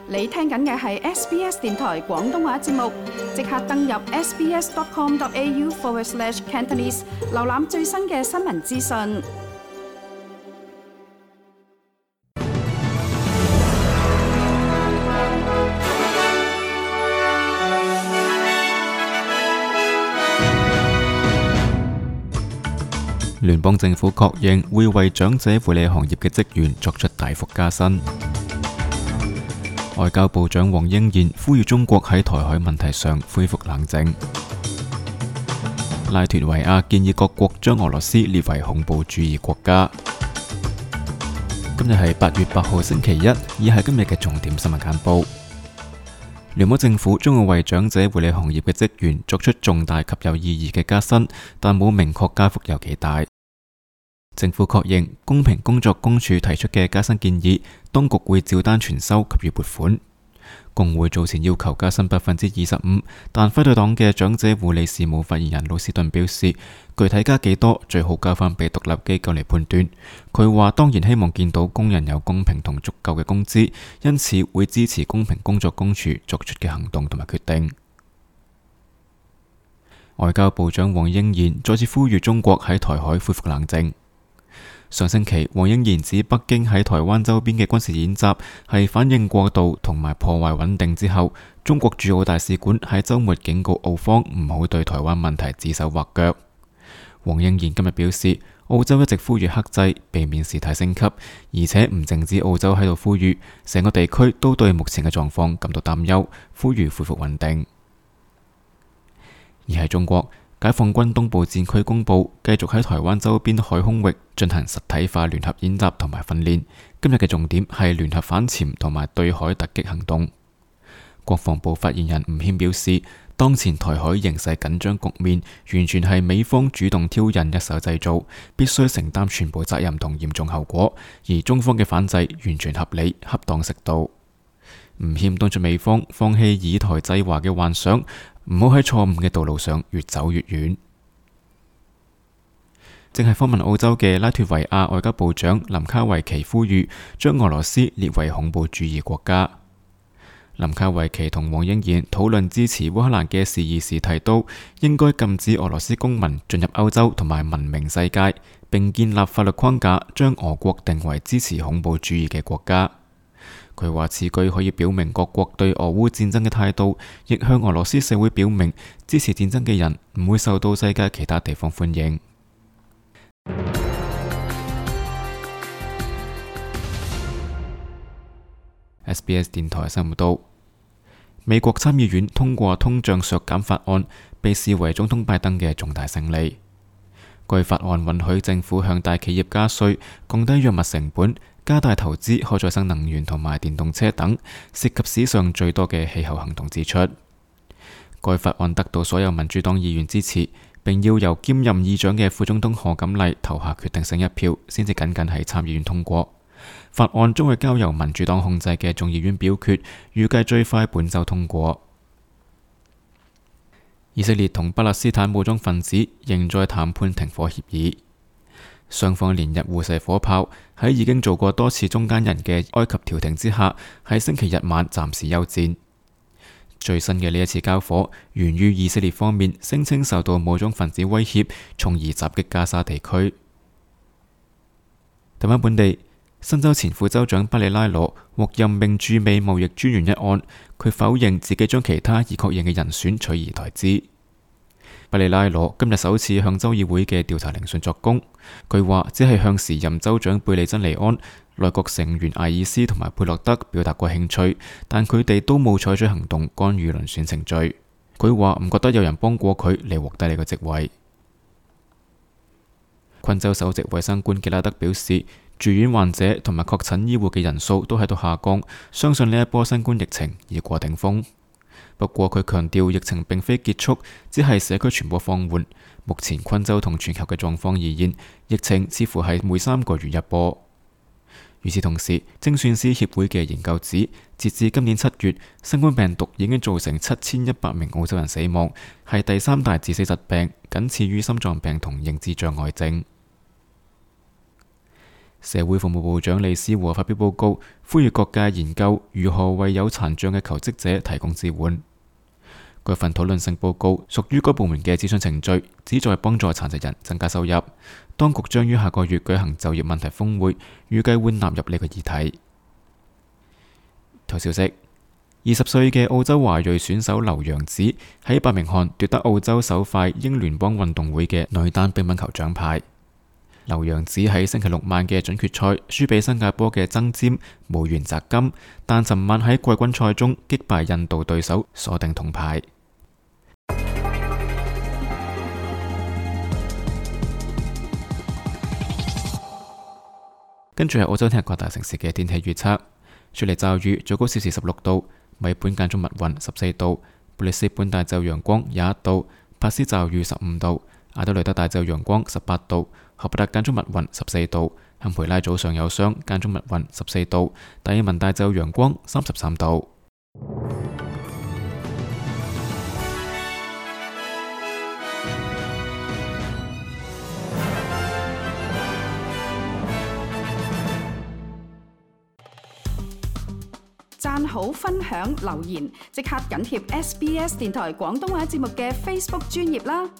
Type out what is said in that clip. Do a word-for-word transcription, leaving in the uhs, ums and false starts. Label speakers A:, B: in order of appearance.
A: 你聽緊嘅係 S B S 電台廣東話節目，即刻登入 sbs.com.au forward slash Cantonese， 瀏覽最新嘅新聞資訊。
B: 聯邦政府確認會為長者護理行業嘅職員作出大幅加薪。外交部長黃英賢呼籲中國喺台海問題上恢復冷靜。拉脫維亞建議各國將俄羅斯列為恐怖主義國家。今日係八月八號星期一，以下係今日嘅重點新聞簡報。聯邦政府將會為長者護理行業嘅職員作出重大及有意義嘅加薪，但冇明確加幅有幾大。政府確認公平工作公署提出嘅加薪建議，當局會照單全收給予撥款。工會早前要求加薪百分之二十五，但反對黨嘅長者護理事務發言人魯斯頓表示，具體加幾多最好交翻俾獨立機構嚟判斷。佢話當然希望見到工人有公平同足夠嘅工資，因此會支持公平工作公署作出嘅行動同埋決定。外交部長黃英賢再次呼籲中國喺台海恢復冷靜。上星期，黃英賢指北京喺台灣周邊嘅軍事演習係反應過度同埋破壞穩定之後，中國駐澳大使館喺週末警告澳方唔好對台灣問題指手畫腳。黃英賢今日表示，澳洲一直呼籲克制，避免事態升級，而且唔淨止澳洲喺度呼籲，成個地區都對目前嘅狀況感到擔憂，呼籲恢復穩定。而喺中國，解放軍東部戰區公佈，繼續喺台灣周邊海空域進行實體化聯合演習同埋訓練。今日嘅重點係聯合反潛同埋對海突擊行動。國防部發言人吳謙表示，當前台海形勢緊張局面，完全係美方主動挑釁一手製造，必須承擔全部責任同嚴重後果。而中方嘅反制完全合理、恰當適度。吳謙敦促美方放棄以台制華嘅幻想，唔好喺錯誤嘅道路上越走越遠。正係訪問澳洲嘅拉脫維亞外交部長林卡維奇呼籲將俄羅斯列為恐怖主義國家。林卡維奇同黃英賢討論支持烏克蘭嘅事宜時提到，應該禁止俄羅斯公民進入歐洲同埋文明世界，並建立法律框架將俄國定為支持恐怖主義嘅國家。佢話此舉可以表明各國對俄烏戰爭嘅態度，亦向俄羅斯社會表明支持戰爭嘅人唔會受到世界其他地方歡迎。S B S 電台新聞報道，美國參議院通過通脹削減法案，被視為總統拜登嘅重大勝利。該法案允許政府向大企業加稅，降低藥物成本，加大投資可再生能源同埋電動車等，涉及史上最多嘅氣候行動支出。該法案得到所有民主黨議員支持，並要由兼任議長嘅副總統賀錦麗投下決定性一票，先至僅僅喺參議院通過。法案將會交由民主黨控制嘅眾議院表決，預計最快本週通過。以色列同巴勒斯坦武裝分子仍在談判停火協議，雙方連日互射火炮，喺已經做過多次中間人嘅埃及調停之下，喺星期日晚暫時休戰。最新嘅呢一次交火，源於以色列方面聲稱受到武裝分子威脅，從而襲擊加沙地區。台灣本地，新州前副州長巴里拉羅獲任命駐美貿易專員一案，佢否認自己將其他已確認嘅人選取而代之。巴里拉羅今日首次向州議會嘅調查聆訊作供，佢話只係向時任州長貝利珍尼安、內閣成員艾爾斯同埋佩洛德表達過興趣，但佢哋都冇採取行動干預遴選程序。佢話唔覺得有人幫過佢嚟獲得呢個職位。昆州首席衛生官傑拉德表示，住院患者同埋確診醫護嘅人數都喺度下降，相信呢一波新冠疫情已過頂峰。不過佢強調疫情並非結束，只係社區傳播放緩。目前昆州同全球嘅狀況而言，疫情似乎係每三個月一波。與此同時，精算師協會嘅研究指，截至今年七月，新冠病毒已經造成七千一百名澳洲人死亡，係第三大致死疾病，僅次於心臟病同認知障礙症。社會服務部長李思和發表報告，呼籲各界研究如何為有殘障嘅求職者提供支援。該份討論性報告屬於該部門嘅諮詢程序，旨在幫助殘疾人增加收入。當局將於下個月舉行就業問題峰會，預計會納入呢個議題。頭消息：二十歲嘅澳洲華裔選手劉洋子喺伯明翰奪得澳洲首塊英聯邦運動會嘅女單乒乓球獎牌。劉洋子喺星期六晚嘅準決賽輸俾新加坡嘅曾瞻，無緣摘金，但尋晚喺季軍賽中擊敗印度對手，鎖定銅牌。跟住係澳洲聽日各大城市嘅天氣預測：雪梨驟雨，最高攝氏十六度；墨爾本間中密雲，十四度；布里斯本大驟陽光，廿一度；帕斯驟雨，十五度；阿德雷德大驟陽光，十八度；荷伯特間中密雲，十四度；坎培拉早上有霜，間中密雲，十四度；達爾文大驟陽光，三十三度。
A: 讚好、分享、留言，即刻緊貼 S B S 電台廣東話節目嘅 Facebook 專頁啦！